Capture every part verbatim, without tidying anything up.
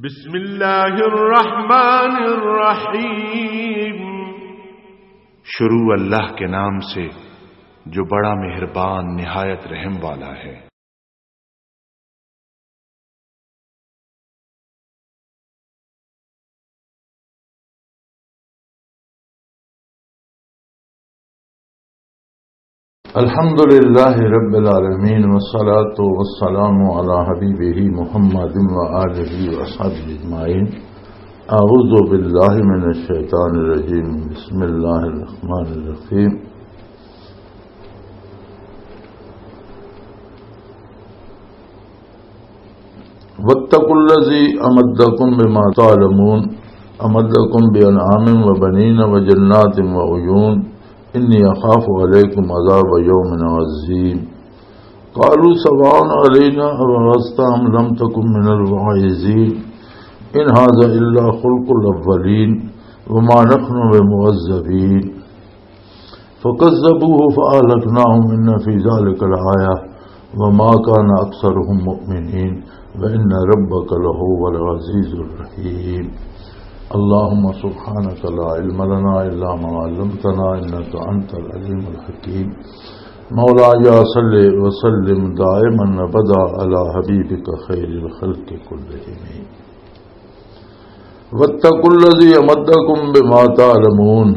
بسم اللہ الرحمن الرحیم۔ شروع اللہ کے نام سے، جو بڑا مہربان، نہایت رحم والا ہے۔ الحمد لله رب العالمين، والصلاة والسلام على حبيبه محمد وآله وأصحابه أجمعين. أعوذ بالله من الشيطان الرجيم. بسم الله الرحمن الرحيم. واتقوا الذي أمدكم بما تعلمون، أمدكم بأنعام وبنين وجنات وعيون، إني أخاف عليكم عذاب يوم عظيم. قالوا سواء علينا أوعظت أم لم تكن من الواعظين، إن هذا إلا خلق الأولين، وما نحن بمعذبين. فكذبوه فأهلكناهم إن في ذلك لآية وما كان أكثرهم مؤمنين وإن ربك لهو العزيز الرحيم. اللهم سبحانك لا علم لنا إلا ما علمتنا إنك أنت العليم الحكيم. مولاي صل وسلم دائما أبدا على حبيبك خير الخلق كلهم. واتقوا الذي أمدكم بما تعلمون۔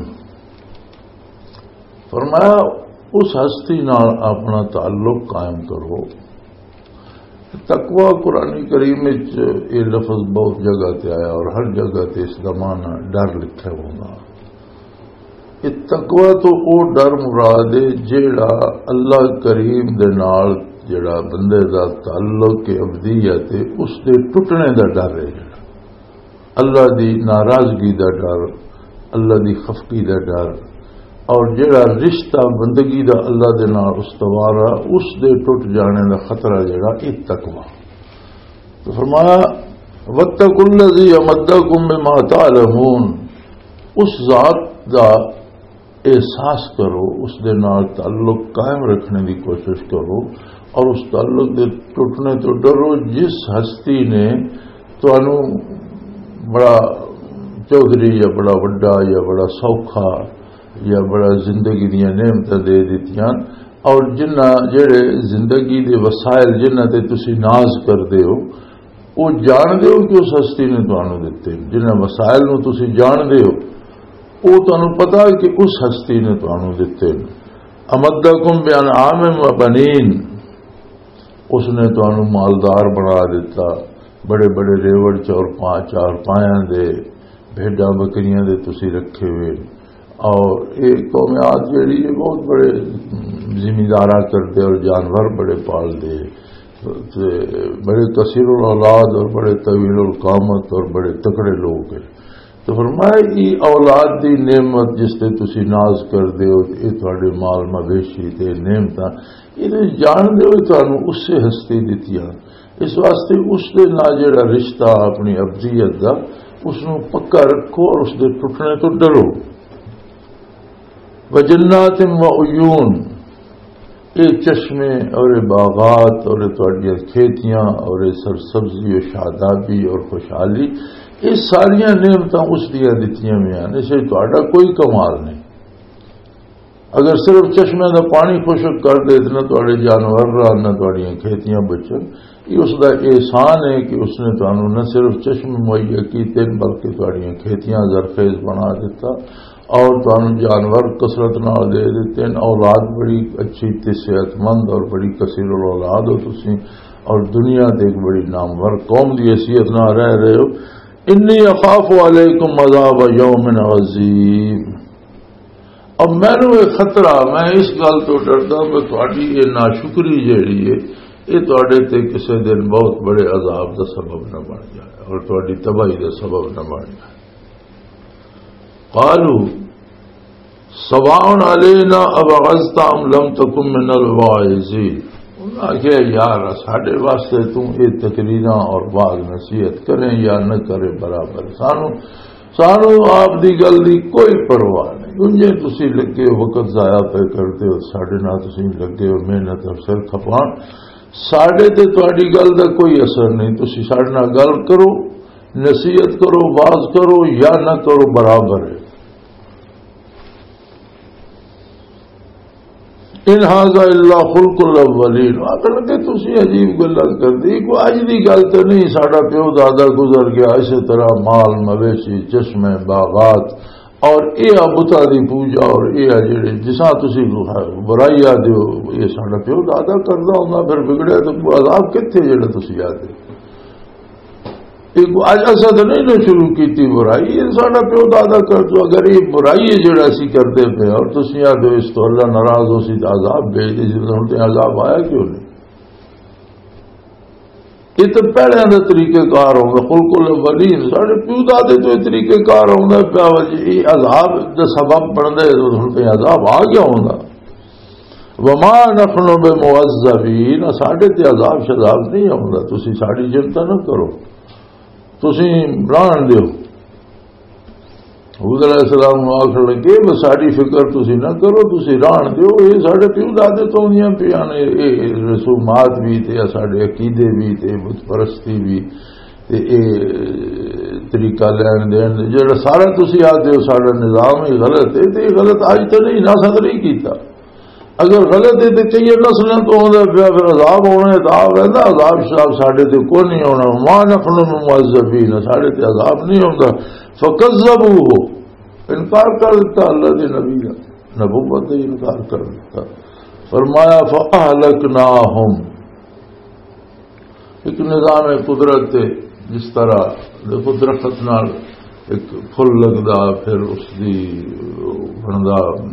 فرمایا، اس ہستی نال اپنا تعلق قائم کرو۔ تقوی قرآن کریم وچ یہ لفظ بہت جگہ تے آیا اور ہر جگہ تے اس دا معنی ڈر لکھا ہونا۔ یہ تقوی تو او ڈر مراد ہے جیڑا اللہ کریم دے نال جیڑا بندے دا تعلق ابدیت ہے، اس دے ٹوٹنے دا ڈر ہے۔ اللہ دی ناراضگی دا ڈر، اللہ دی خفگی دا ڈر، اور جڑا رشتہ بندگی دا اللہ دے نال استوار ہے، اس دے ٹوٹ جانے دا خطرہ جڑا، یہ تقوی۔ تو فرمایا، "واتقوا الذی امدکم بما تعلمون"، اس ذات دا احساس کرو، اس دے نال تعلق قائم رکھنے دی کوشش کرو، اور اس تعلق دے ٹوٹنے تو ڈرو جس ہستی نے تانوں بڑا چوہدری یا بڑا وڈا یا بڑا سوکھا یا بڑا زندگی دیاں نعمتاں دے دتیاں، اور جنہ جڑے زندگی دے وسائل جنہ تے تسی ناز کردے ہو، وہ جان دے ہو کہ اس ہستی نے تانوں دتے، جنہ وسائل نو تسی جان دے ہو، وہ تانوں پتا کہ اس ہستی نے تانوں دتے۔ امدکم بانعام و بنین، اس نے تانوں مالدار بنا دیتا، بڑے بڑے ریوڑ چور پا-، چار پایاں دے، بھیڈاں بکریاں دے تسی رکھے ہوئے۔ اور ایک قوم عاد جڑی ہے، بہت بڑے زمینداراں کردے اور جانور بڑے پال دے، تے بڑے کثیر الاولاد اور بڑے طویل القامت اور بڑے تکڑے لوگ ہیں۔ تو فرمایا، یہ اولاد دی نعمت جس تے تسی ناز کر دے ہو، یہ تواڈے مال مویشی تے نعمتاں، یہ تے جان دے ہو تانوں اس سے ہستی دتیاں۔ اس واسطے اس دے نال جڑا رشتہ اپنی ابدیت دا، اس نوں پکا رکھو اور اس دے ٹوٹنے تو ڈرو۔ وجنات و عیون، اے چشمے اور اے باغات اور اے تہاڈیاں کھیتیاں اور اے سرسبزی و شادابی اور خوشحالی، اے ساریاں نعمتاں اس دیاں دتیاں ہوئیاں نے، اس وچ تہاڈا کوئی کمال نہیں۔ اگر صرف چشمے دا پانی خشک کر دے تے نہ تہاڈے جانور رہن، نہ تہاڈیاں کھیتیاں بچن، یہ اس دا احسان ہے کہ اس نے تانوں نہ صرف چشمے مہیا کیتے ہیں، بلکہ تہاڈیاں کھیتیاں زرخیز بنا دیتا اور تانوں جانور کثرت نال دے دیتے ہیں، اولاد بڑی اچھی تے صحت مند اور بڑی کثیر الاولاد ہو تسی، اور دنیا تے ایک بڑی نامور قوم دی حیثیت نال رہ رہے ہو۔ انی اخاف علیکم عذاب یوم عظیم۔ اب مینوں یہ خطرہ، میں اس گل تو ڈردا کہ تہاڈی یہ ناشکری جیڑی ہے، یہ تہاڈے تے کسے دن بہت بڑے عذاب دا سبب نہ بن جائے اور تہاڈی تباہی دا سبب نہ بن جائے۔ قالوا سواء علینا اوعظت ام لم تکن من الواعظین۔ انہاں آکھیا، یار، ساڈے واسطے توں یہ تقریراں اور وعظ نصیحت کریں یا نہ کریں برابر، سانو سانو آپ دی گل دی کوئی پرواہ نہیں۔ انجے تسی لگے ہو، وقت ضائع پہ کرتے ہو، ساڈے نال تسی لگے ہو محنت اور سر کھپان، ساڈے تے تہاڈی گل دا کوئی اثر نہیں۔ تسی ساڈے نال گل کرو، نصیحت کرو، واز کرو یا نہ کرو، برابر ہے۔ ان ھذا الا خلق الاولین۔ آخر کہ تسی عجیب گلاں کردے، کوئی اج دی گل تے نہیں، ساڈا پیو دادا گزر گیا، اسی طرح مال مویشی، چشمے، باغات، اور اے آ بتاں دی پوجا، اور اے آ جڑے جساں تسی برائی آ دیو، اے ساڈا پیو دادا کردا ہوندا، پھر بگڑیا تے کوئی عذاب کتھے جڑا تسی آ دیو؟ اے کوئی اج اساں تے نہیں نہ شروع کیتی برائی، اے ساڈا پیو دادا کر دو۔ اگر اے برائی ہے جڑا اسی کردے پے اور تسی آ دیو اس تو اللہ ناراض ہو سی تے عذاب بھیج دے، جس ہن تے عذاب آیا کیوں نہیں؟ یہ تو پہلے دا طریقہ کار ہوندا، خلق الاولین۔ ساڈے پیو دادے تو یہ طریقہ کار ہوندا پیا وا جی، یہ عذاب دا سبب بندا ہے، تو ہن تے عذاب آ گیا ہوندا۔ وما نحن بمعذبین، ساڈے تے عذاب شذاب نہیں ہوندا، تسی ساڈی چنتا نہ کرو، تسی رہن دیو۔ حود علیہ السلام نوں آکھن لگے، "بس ساڈی فکر تسی نہ کرو، تسی رہن دیو، یہ ساڈے پیو دادے تو ہوندیاں پیاں نے، یہ رسومات بھی تے ساڈے عقیدے بھی تے بت پرستی بھی تے یہ طریقہ لین دین، جڑا سارا تسی آ دیو ساڈا نظام ہی غلط ہے، تے یہ غلط اج تے نہیں، نہ صدر ہی کیتا۔" اگر غلط ہے تے کئی نسلاں تو ہوندا پیا، پھر عذاب ہونا ہے، عذاب رہندا، عذاب شذاب ساڈے تے کوئی نہیں ہونا۔ ما نحن بمعذبین، ساڈے تے عذاب نہیں ہوندا۔ فکذبوہ، انکار کر دیتا اللہ دے نبی دا، نبوت دا انکار کر دیتا۔ فرمایا، فاہلکناہم، ایک نظام قدرت ہے، جس طرح دیکھو درخت نال ایک پھل لگدا، پھر اس دی بندا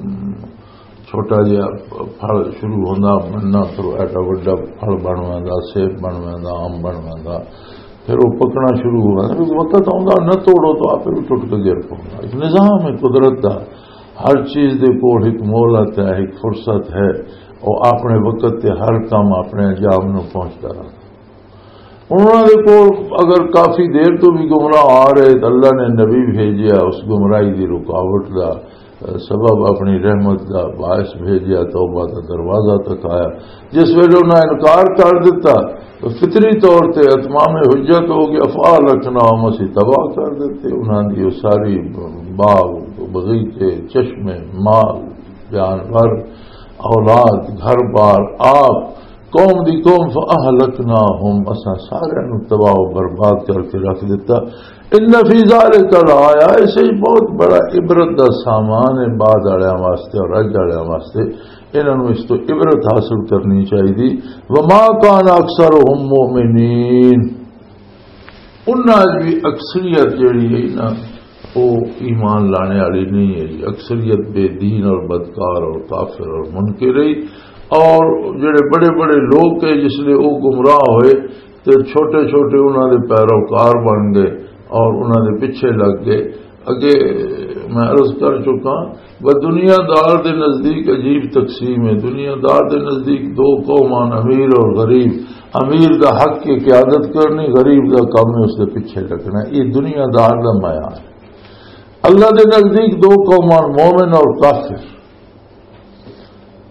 چھوٹا جہا پھل شروع ہوندا بننا، پھر ایڈا وڈا پھل بن ویندا، سیب بن ویندا، آم بن ویندا، پھر وہ پکنا شروع ہو ویندا۔ کیونکہ وقت آوندا، نہ توڑو تو آپ بھی ٹوٹ کے گر پوندا۔ ایک نظام ہے قدرت دا، ہر چیز دے کول ایک مہلت ہے، ایک فرصت ہے، وہ اپنے وقت تے ہر کام اپنے انجام نو پہنچدا رہندا۔ انہاں دے کول اگر کافی دیر تو بھی گمراہ آ رہے تو اللہ نے نبی بھیجیا، اس گمراہی دی رکاوٹ دا سبب اپنی رحمت دا باعث بھیجیا، توبہ دا دروازہ تک آیا۔ جس ویلے انہاں انکار کر دیتا تو فطری طور تے اتمام حجت ہو گیا، فَأَهْلَكْنَاهُمْ، اسی تباہ کر دیتے انہاں دی وہ ساری باغ، بغیچے، چشمے، مال، جانور، اولاد، گھر بار، آپ قوم دی قوم، فَأَهْلَكْنَاهُمْ، اساں سارے نو تباہ و برباد کر کے رکھ دیتا۔ ان فی ذالک لآیہ، اسے ہی بہت بڑا عبرت دا سامان ہے بعد والے واسطے اور اج والے واسطے۔ انہاں نوں اس تو عبرت حاصل کرنی چاہیے۔ وما کان اکثرهم مؤمنین، انہاں وچ بھی اکثریت جڑی ہے نا، وہ ایمان لانے والی نہیں ہے۔ اکثریت بے دین اور بدکار اور کافر اور منکر ہے۔ اور جڑے بڑے بڑے لوگ ہیں، جس لئے وہ گمراہ ہوئے تے چھوٹے چھوٹے انہاں دے پیروکار بن گئے اور انہاں دے پیچھے لگ گئے۔ اگے میں عرض کر چکا، بس دنیا دار دے نزدیک عجیب تقسیم ہے۔ دنیا دار دے نزدیک دو قومان، امیر اور غریب۔ امیر دا حق ہے قیادت کرنی، غریب دا کام ہے اس دے پیچھے لگنا۔ یہ دنیا دار دا معیار ہے۔ اللہ دے نزدیک دو قومان، مومن اور کافر۔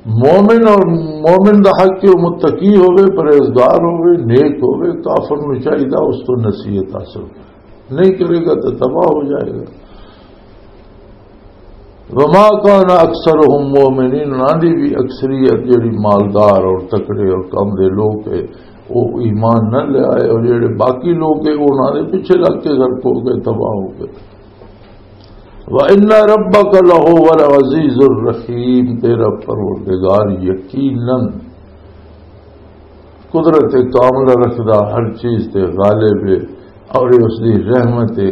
مومن اور مومن دا حق ہے وہ متقی ہوئے، پرہیزگار ہوئے، نیک ہوئے۔ کافر نو چاہیے اس تو نصیحت حاصل کرے، نہیں کرے گا تو تباہ ہو جائے گا۔ وما کان اکثرهم مؤمنین، انہاں دی بھی اکثریت جڑی مالدار اور تکڑے اور کم دے لوگ ہے، وہ ایمان نہ لے آئے، اور جڑے باقی لوگ ہے، وہ انہاں دے پیچھے لگ کے غرق ہو گئے، تباہ ہو گئے۔ وَإِنَّ رَبَّكَ لَهُوَ الْعَزِيزُ الرَّحِيمُ، تیرا پروردگار یقیناً قدرت کاملہ رکھدا، ہر چیز تے غالب ہے، اور یہ اس دی رحمت ہے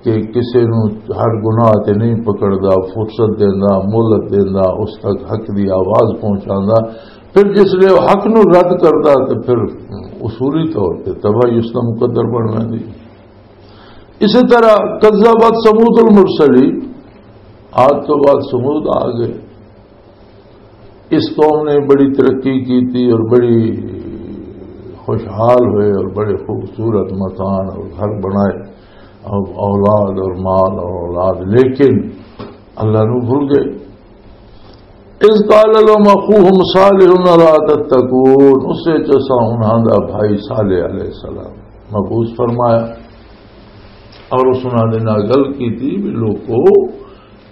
کہ کسے نو ہر گناہ تے نہیں پکڑدا، فرصت دیندا، مہلت دیندا، اس تک حق دی آواز پہنچاندا۔ پھر جس لے وہ حق نو رد کردا تے پھر اصولی طور تے تباہی اس دا مقدر بن ویندی۔ اسی طرح کذبت ثمود المرسلین، عاد تو بعد ثمود آ گئے۔ اس قوم نے بڑی ترقی کی تھی اور بڑی خوشحال ہوئے اور بڑے خوبصورت مکان اور گھر بنائے اور اولاد اور مال اور اولاد، لیکن اللہ نو بھول گئے۔ اذ قال لهم اخوهم صالح الا تتقون، اس وچ اساں انہاں دا بھائی صالح علیہ السلام مبعوث فرمایا۔ اور اس انہاں دے نال گل کیتی بھی لوکو،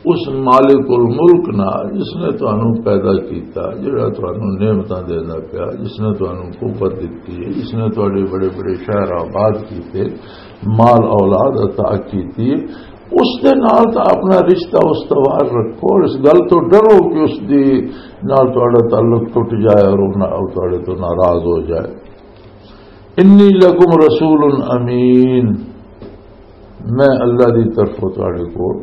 اس مالک الملک نال جس نے تانوں پیدا کیتا، جڑا تانوں نعمتاں دیندا پیا، جس نے تانوں قوت دتی ہے، جس نے تہاڈے بڑے بڑے شہر آباد کیتے، مال اولاد عطا کیتی ہے، اس دے نال تاں اپنا رشتہ استوار رکھو اور اس گل تو ڈرو کہ اس دی نال تہاڈا تعلق ٹوٹ جائے اور وہ نا-، وہ تہاڈے تو ناراض ہو جائے۔ انی لکم رسول امین، میں اللہ دی طرفوں تہاڈے کول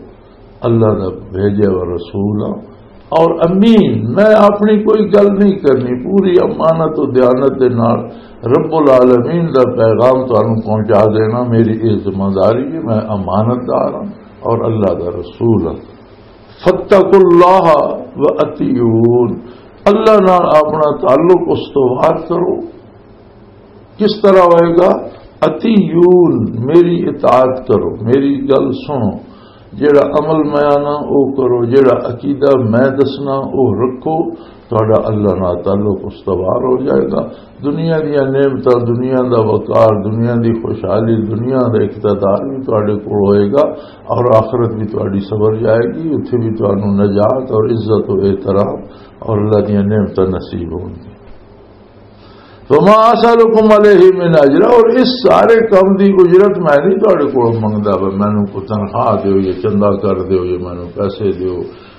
اللہ دا بھیجا ہوا رسول ہاں، اور امین، میں اپنی کوئی گل نہیں کرنی، پوری امانت و دیانت دے نال رب العالمین دا پیغام تانوں پہنچا دینا میری یہ ذمہ داری ہے، میں امانت دار ہاں اور اللہ دا رسول ہاں۔ فاتقوا اللہ و اطیعون، اللہ نال اپنا تعلق استوار کرو۔ کس طرح ہوئے گا؟ اطیعون، میری اطاعت کرو، میری گل سنو، جیڑا عمل میں آنا او کرو، جیڑا عقیدہ میں دسنا او رکھو، تہاڈا اللہ نال تعلق استوار ہو جائے گا۔ دنیا دیاں نعمتاں، دنیا دا وقار، دنیا دی خوشحالی، دنیا دا اقتدار بھی تہاڈے کول ہوئے گا، اور آخرت بھی تہاڈی سنور جائے گی، اتھے بھی تہانوں نجات اور عزت و احترام اور اللہ دیاں نعمتاں نصیب ہون گی۔ وما اسالکم علیہ من اجر، اور اس سارے کم دی اجرت میں نہیں تہاڈے کول منگدا، بھئی مینوں کو تنخواہ دیو یا چندہ کر دیو یا مینوں پیسے دیو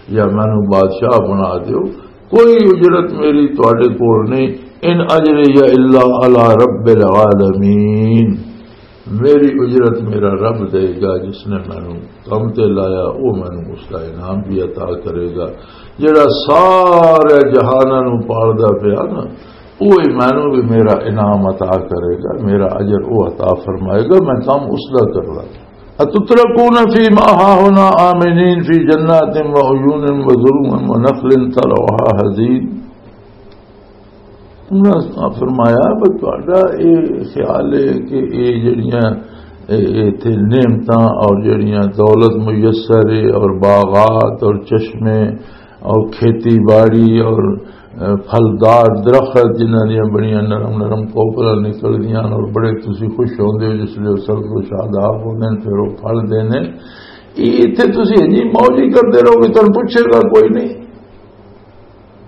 یا مینوں بادشاہ بنا دیو، کوئی اجرت میری تہاڈے کول نہیں۔ ان اجری الا علی رب العالمین، میری اجرت میرا رب دے گا، جس نے مینوں کم تے لایا، وہ مینوں اس کا انعام بھی عطا کرے گا۔ جڑا سارے جہاناں نوں پالدا پیا نا، وہی مینوں بھی میرا انعام عطا کرے گا، میرا اجر وہ عطا فرمائے گا، میں کم اس دا کردا۔ اتترکون فی ما ہاہنا آمنین فی جنات و عیون و زروع و نخل طلعها ہضیم۔ انہاں فرمایا، "بس تہاڈا یہ خیال ہے کہ یہ جڑیاں، اے، اے اتھے نعمتاں اور جڑیاں دولت میسر ہے اور باغات اور چشمے اور کھیتی باڑی اور، اے، پھلدار درخت جنہاں دیاں بڑیاں نرم نرم کوپلاں نکلدیاں اور بڑے تسی خوش ہوندے ہو جس لیے سبز و شاداب ہوندے نے، پھر وہ پھل دینے، یہ اتھے تسی انجی موج ہی کردے رہو گے، تانوں پوچھے گا کوئی نہیں۔"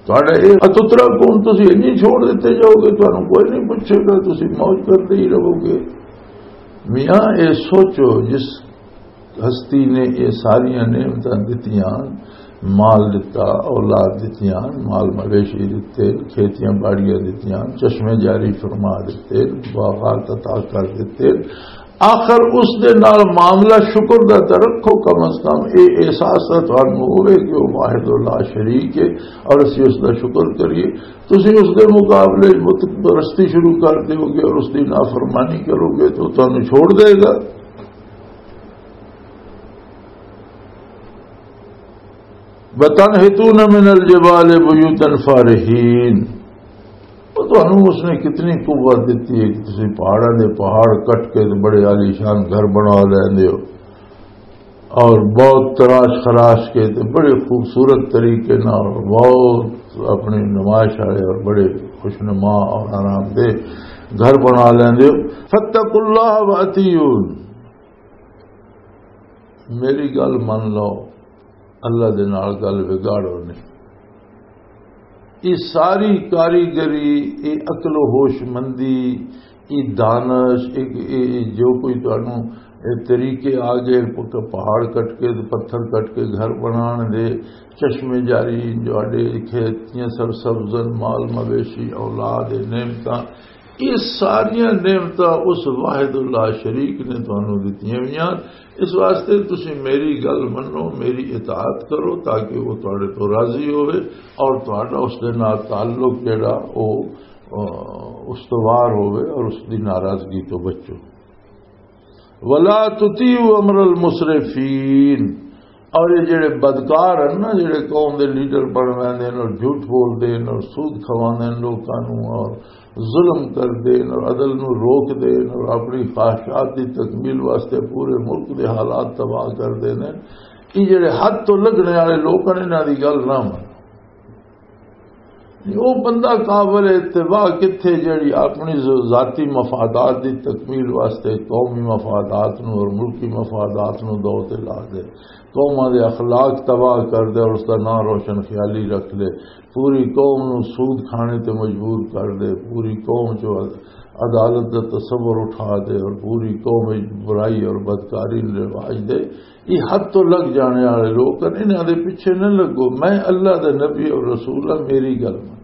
تہاڈا یہ اتترا کون، تسی انجی چھوڑ دتے جاؤ گے، تانوں کوئی نہیں پوچھے گا، تسی موج کردے ہی رہو گے۔ میاں، یہ سوچو، جس ہستی نے یہ ساریاں نعمتاں دتیاں، مال دتا، اولاد دتیاں، مال مویشی دتے، کھیتیاں باڑیاں دتیاں، چشمے جاری فرما دتے، باغات عطا کر دتے، آخر اس دے نال معاملہ شکر دا تے رکھو، کم از کم اے احساس تاں تانوں ہوے کہ او واحد و لا شریک ہے اور اسی اس دا شکر کریے۔ تسی اس دے مقابلے بت پرستی شروع کر دیو گے اور اس دی نافرمانی کرو گے تو تانوں چھوڑ دے گا۔ وَتَنْحِتُونَ مِنَ الْجِبَالِ بُيُوتًا فَارِهِينَ۔ تو تانوں اس نے کتنی قوت دیتی ہے کہ تسی پہاڑاں دے پہاڑ کٹ کے تے بڑے عالیشان گھر بنا لیندے ہو، اور بہت تراش خراش کے تے بڑے خوبصورت طریقے نال، بہت اپنی نمائش والے اور بڑے خوشنما اور آرام دہ گھر بنا لیندے ہو۔ فَاتَّقُوا اللَّهَ وَأَطِیعُونِ، میری گل من لو، اللہ دے نال گل وگاڑو نہیں۔ یہ ساری کاریگری، یہ عقل و ہوش مندی، یہ دانش، یہ، یہ، یہ جو کوئی تانوں، یہ طریقے آ گئے، پ-، پہاڑ کٹ کے، پتھر کٹ کے گھر بنان دے، چشمے جاری، جو آڈے کھیتیاں سرسبزن، مال مویشی، اولاد، نعمتاں، یہ ساریاں نعمتاں اس واحد اللہ شریک نے تانوں دتیاں ہوئیاں۔ اس واسطے تسی میری گل منو، میری اطاعت کرو، تاکہ وہ تہاڈے تو راضی ہوئے اور تہاڈا اس دے نال تعلق جڑا، او، آ، استوار ہوئے اور اس دی ناراضگی تو بچو۔ وَلَا تُطِیعُوا أَمْرَ الْمُسْرِفِینَ، اور یہ جڑے بدکار ہیں نا، جڑے قوم دے لیڈر بن ویندے نے اور جھوٹ بولدے نے اور سود کھواندے نے لوکاں نوں اور ظلم کردے نے اور عدل نوں روکدے نے اور اپنی خواہشات دی تکمیل واسطے پورے ملک دے حالات تباہ کردے نے، یہ جڑے حد تو لگنے والے لوک ہیں، انہاں دی گل نہ من۔ وہ بندہ قابل اتباع کتھے جڑی اپنی ذاتی مفادات دی تکمیل واسطے قومی مفادات نو اور ملکی مفادات نو دو تے لا دے، قوماں دے اخلاق تباہ کر دے اور اس دا نام روشن خیالی رکھ دے، پوری قوم نو سود کھانے تے مجبور کر دے، پوری قوم چو عدالت دا تصور اٹھا دے اور پوری قوم وچ برائی اور بدکاری نوں رواج دے۔ یہ حد تو لگ جانے والے لوگ ہیں، انہاں دے پیچھے نہ لگو۔ میں اللہ دے نبی اور رسول ہاں، میری گل من۔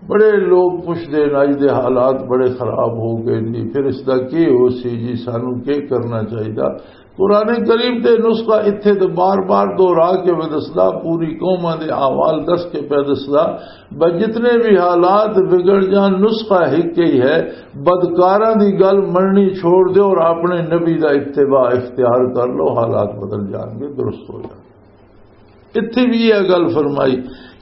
بڑے لوگ پوچھتے ہیں، اج دے حالات بڑے خراب ہو گئے جی، پھر اس دا کی ہو سی جی، سانو کی کرنا چاہیے؟ قرآن کریم تے نسخہ اتھے تے بار بار دہرا کے پہ دسدا، پوری قوماں دے احوال دس کے پہ دسدا۔ بس جتنے بھی حالات بگڑ جان، نسخہ ایک ہی ہے، بدکاراں دی گل مننی چھوڑ دیو اور اپنے نبی دا اتباع اختیار کر لو، حالات بدل جان گے، درست ہو جان گے۔ اتھے بھی یہ گل فرمائی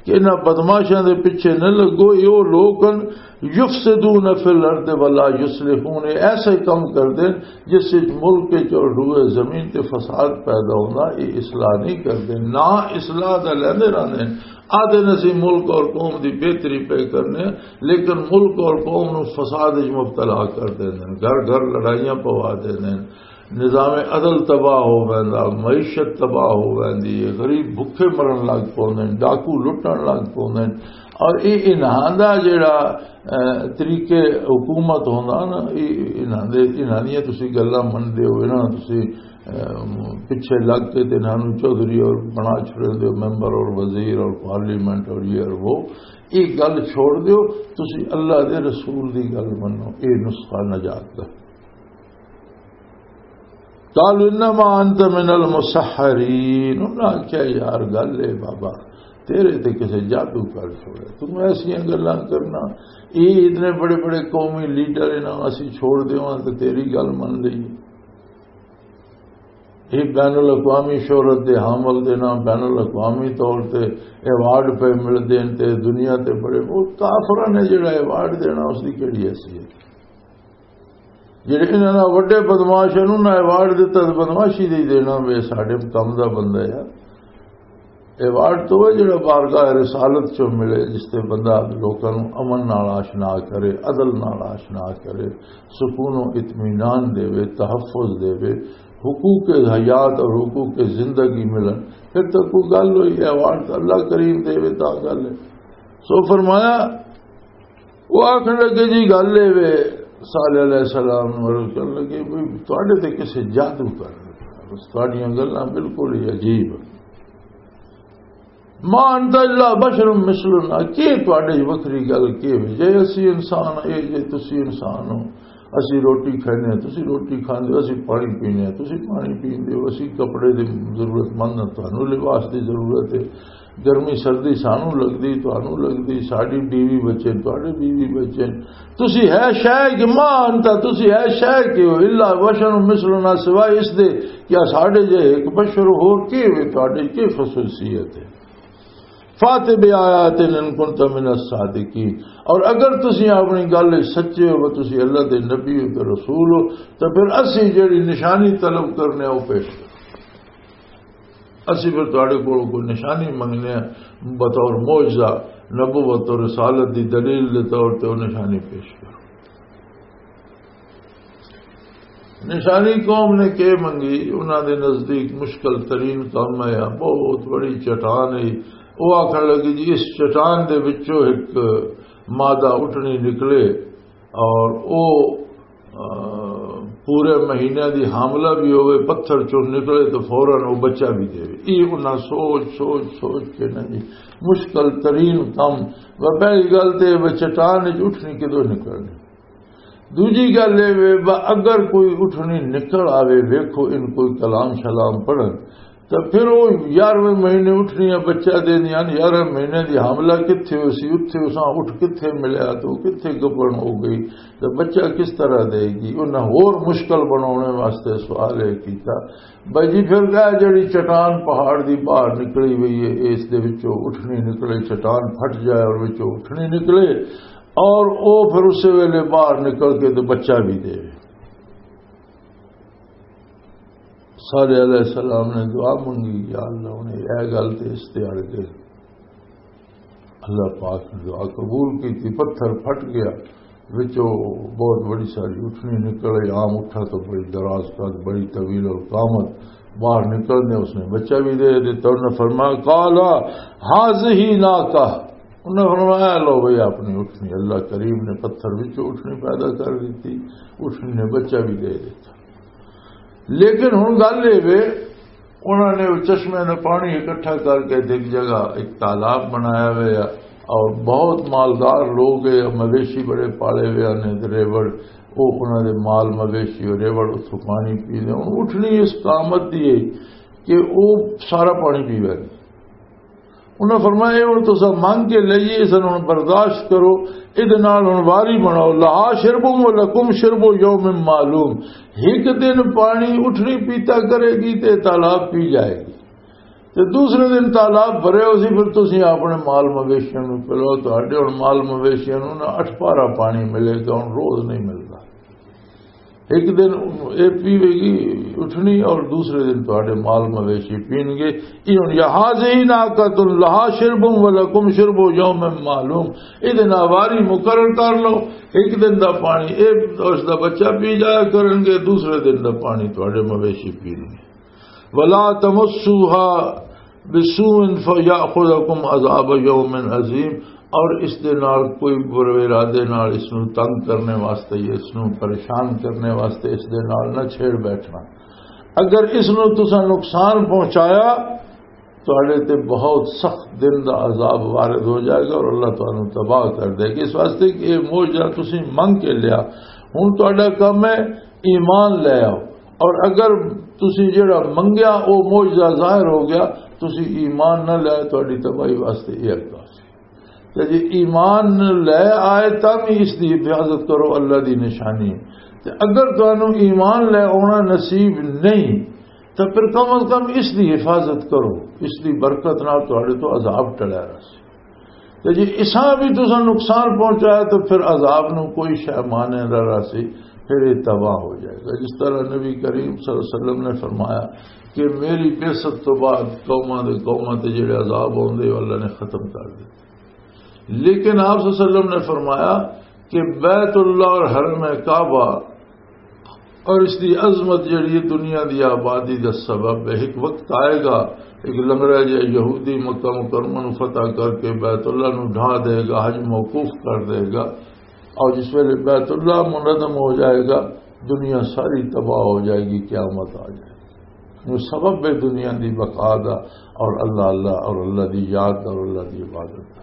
کہ انہاں بدمعاشاں دے پیچھے نہ لگو، یہ وہ لوگ ہیں، یفسدون فی الارض ولا یصلحون، ایسے کم کر دین جس وچ ملک وچ اور روئے زمین تے فساد پیدا ہوندا، یہ اصلاح نہیں کردے، نہ اصلاح دا لیندے رہندے ہیں۔ آدھے نے اسی ملک اور قوم دی بہتری پہ کرنے ہیں، لیکن ملک اور قوم نو فساد وچ مبتلا کر دیندے ہیں، گھر گھر لڑائیاں پوا دیندے ہیں، نظام عدل تباہ ہو ویندا، معیشت تباہ ہو ویندی ہے، غریب بھکھے مرن لگ پوندے ہیں، ڈاکو لٹن لگ پوندے ہیں۔ اور یہ انہاں دا جڑا، اے، طریقے حکومت ہوندا نا، یہ انہاں دے، انہاں دیاں تسی گلاں مندے ہو، انہاں تسی، اے، پیچھے لگ کے تے انہاں نوں چوہدری اور بنا چھڑے دے ہو، ممبر اور وزیر اور پارلیمنٹ اور یہ اور وہ۔ یہ گل چھوڑ دیو، تسی اللہ دے رسول دی گل منو، یہ نسخہ نجات دا۔ قالوا انما انت من المسحرین۔ انہاں آکھیا، یار، گل اے بابا، تیرے تے کسے جادو کر چھوڑے، تم ایسیاں گلاں کرنا۔ یہ اتنے بڑے بڑے قومی لیڈر انہاں اسی چھوڑ دیواں تے تیری گل من لئی۔ یہ بین الاقوامی شہرت دے حامل دے نام بین الاقوامی طور تے ایوارڈ پہ ملدے ہیں تے دنیا تے بڑے، وہ کافراں نے جڑا ایوارڈ دینا، اس دی کیڑی حیثیت؟ جڑے انہاں دا وڈے بدمعاش ہیں، انہاں ایوارڈ دتا تے بدمعاشی دے ہی دینا، وے ساڈے کم دا بندہ ہے۔ ایوارڈ تو وہ جڑا بارگاہ رسالت چوں ملے، جس تے بندہ لوکاں نوں امن نال آشنا کرے، عدل نال آشنا کرے، سکون و اطمینان دے وے، تحفظ دے وے، حقوق حیات اور حقوق زندگی ملن، پھر تو کوئی گل ہوئی، ایوارڈ تو اللہ کریم دے وے، تا گل ہے۔ سو فرمایا، وہ آخر لگے، جی گل اے وے، صالح علیہ السلام نوں عرض کرن لگے، "بھئی، تواڈے تے کسے جادو کر لگا، بس تواڈیاں گلاں بالکل ہی عجیب ہیں۔ ما انت الا بشر مثلنا، کی تواڈے وکھری گل کی وے؟ جے اسی انسان، اے جے تسی انسان ہو، اسی روٹی کھانے ہیں، تسی روٹی کھاندے ہو، اسی پانی پینے ہیں، تسی پانی پیندے ہو، اسی کپڑے دی ضرورت مند ہاں، تانوں لباس دی ضرورت ہے۔" گرمی سردی سانو لگدی، تانوں لگدی، ساڈی بیوی بچے، تواڈے بیوی بچے۔ تسی ہے شے کہ ما انت، تسی ہے شے کہ ہو، الا بشر مثلنا، سوائے اس دے کیا ساڈے جے ایک بشر ہور کی ہوئے، تواڈے کی خصوصیت ہے؟ فات بآیات ان کنت من الصادقین، اور اگر تسی اپنی گل وچ سچے ہو، تسی اللہ دے نبی ہو تے رسول ہو، تو پھر اسی جڑی نشانی طلب کرنے او پیش کرو۔ اسی پھر تہاڈے کولوں کوئی نشانی منگنے ہیں، بطور معجزہ، نبوت اور رسالت دی دلیل دے طور تے وہ نشانی پیش کرو۔ نشانی قوم نے کی منگی؟ انہاں دے نزدیک مشکل ترین کام ہے، بہت بڑی چٹان ہے۔ وہ آکھن لگی، جی، اس چٹان دے وچوں ایک مادہ اٹھنی نکلے، اور او، آ، پورے مہینے دی حاملہ بھی ہوئے، پتھر چوں نکلے تو فوراً او بچہ بھی دے۔ یہ انہاں سوچ، سوچ، سوچ کے نا جی، مشکل ترین کم۔ وہ پہلی گل تے وہ چٹان وچ اٹھنی کدوں نکلنی؟ دوجی گل اے وے، با اگر کوئی اٹھنی نکل آوے، ویکھو ان کوئی کلام شلام پڑھن، تے پھر او یارویں مہینے اٹھنیاں بچہ دیندیاں ہن، یارویں مہینے دی حاملہ کتھے ہوسی، اتھے اساں اٹھ کتھے ملیا تے او کتھے گبن ہو گئی، تے بچہ کس طرح دے گی؟ انہاں ہور مشکل بناونے واسطے سوال اے کیتا۔ بھائی جی، پھر کہا جڑی چٹان پہاڑ دی باہر نکلی ہوئی ہے، اس دے وچوں اٹھنی نکلے، چٹان پھٹ جائے اور وچوں اٹھنی نکلے، اور او پھر اسے ویلے باہر نکل کے تے بچہ بھی دے۔ صالح علیہ السلام نے دعا منگی، یا اللہ، انہیں اے گل تے اس تے اڑ گئے۔ اللہ پاک نے دعا قبول کی تھی، پتھر پھٹ گیا، وچوں بہت بڑی ساری اٹھنی نکل آئی۔ عام اٹھا تو بڑی دراز قد، بڑی طویل القامت، باہر نکلنے اس نے بچہ بھی دے دیتا۔ انہوں نے فرمایا، "قال هذه ناقة"، انہوں نے فرمایا، "لو بھئی اپنی اٹھنی۔" اللہ کریم نے پتھر وچوں اٹھنی پیدا کر دیتی، اٹھنی نے بچہ بھی دے دیتا۔ لیکن ہن گل اے وے، انہاں نے او چشمے دا پانی اکٹھا کر کے تے ایک جگہ ایک تالاب بنایا ہویا، اور بہت مالدار لوگ اے، مویشی بڑے پالے ہوئے نے تے ریوڑ، او انہاں دے مال مویشی اور ریوڑ اتھوں پانی پیندے۔ ہن اٹھنی اس قامت دی ہے کہ او سارا پانی پیوے۔ انہاں فرمایا، "اے ہن تساں منگ کے لئیے، اس نوں ہن برداشت کرو، اے دے نال ہن واری بناؤ، لہا شرب و لکم شرب یوم معلوم۔" ایک دن پانی اٹھنی پیتا کرے گی تے تالاب پی جائے گی، تے دوسرے دن تالاب بھرے ہو سی، پھر تسی اپنے مال مویشیاں نوں پلاؤ۔ تہاڈے ہن مال مویشیاں نوں نہ اٹھ پارا پانی ملے گا، ہن روز نہیں ملدا۔ ایک دن اے پیوے گی اٹھنی اور دوسرے دن تہاڈے مال مویشی پین گے۔ یہ ہن، "یا هذه ناقة لها شرب ولکم شرب یوم معلوم"، اے دن آواری مقرر کر لو، ایک دن دا پانی اے، اس دا بچہ پی جایا کرن گے، دوسرے دن دا پانی تہاڈے مویشی پین گے۔ "ولا تمسوها بسوء فیاخذکم عذاب یوم عظیم"، اور اس دے نال کوئی برے ارادے نال اس نوں تنگ کرنے واسطے یا اس نوں پریشان کرنے واسطے اس دے نال نہ چھیڑ بیٹھنا۔ اگر اس نوں تساں نقصان پہنچایا، تہاڈے تے بہت سخت دن دا عذاب وارد ہو جائے گا اور اللہ تانوں تباہ کر دے گا۔ اس واسطے کہ یہ معجزہ تسی منگ کے لیا، ہن تہاڈا کم ہے ایمان لے آؤ۔ اور اگر تسی جڑا منگیا، او معجزہ ظاہر ہو گیا، تسی ایمان نہ لے، تہاڈی تباہی واسطے یہ اگا سی۔ تے جے ایمان لے آئے، تاں بھی اس دی حفاظت کرو، اللہ دی نشانی ہے۔ تے اگر تانوں ایمان لے آنا نصیب نہیں، تو پھر کم از کم اس دی حفاظت کرو، اس دی برکت نال تہاڈے تو عذاب ٹلیا رہسی۔ تے جے اساں بھی تساں نقصان پہنچایا، تو پھر عذاب نوں کوئی شے مانے نہ رہسی، پھر یہ تباہ ہو جائے گا۔ جس طرح نبی کریم صلی اللہ علیہ وسلم نے فرمایا کہ میری بعثت تو بعد قوماں دے قوماں تے جڑے عذاب ہوندے، وہ اللہ نے ختم کر دتے۔ لیکن آپ صلی اللہ علیہ وسلم نے فرمایا کہ بیت اللہ اور حرم کعبہ اور اس دی عظمت جڑی ہے دنیا دی آبادی دا سبب ہے۔ ایک وقت آئے گا، ایک لنگڑا جہا یہودی مکہ مکرمہ نو فتح کر کے بیت اللہ نو ڈھا دے گا، حج موقوف کر دے گا، اور جس ویلے بیت اللہ منہدم ہو جائے گا، دنیا ساری تباہ ہو جائے گی، قیامت آ جائے گی۔ وہ سبب ہے دنیا دی بقا دا، اور اللہ اللہ اور اللہ دی یاد اور اللہ دی عبادت دا۔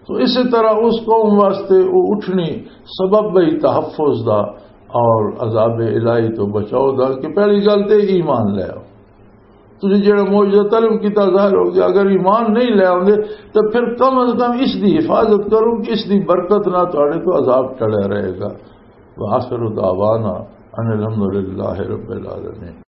تو اسی طرح اس قوم واسطے وہ اٹھنی سبب ہے تحفظ دا اور عذاب الہی تو بچاؤ دا کہ پہلی گل تے ایمان لے آؤ۔ تسی جڑا معجزہ طلب کیتا ظاہر ہو گیا، اگر ایمان نہیں لے آوندے تو پھر کم از کم اس دی حفاظت کرو کہ اس دی برکت نہ تہاڈے تو عذاب ٹلیا رہے گا۔ وآخر دعوانا ان الحمدللہ رب العالمین۔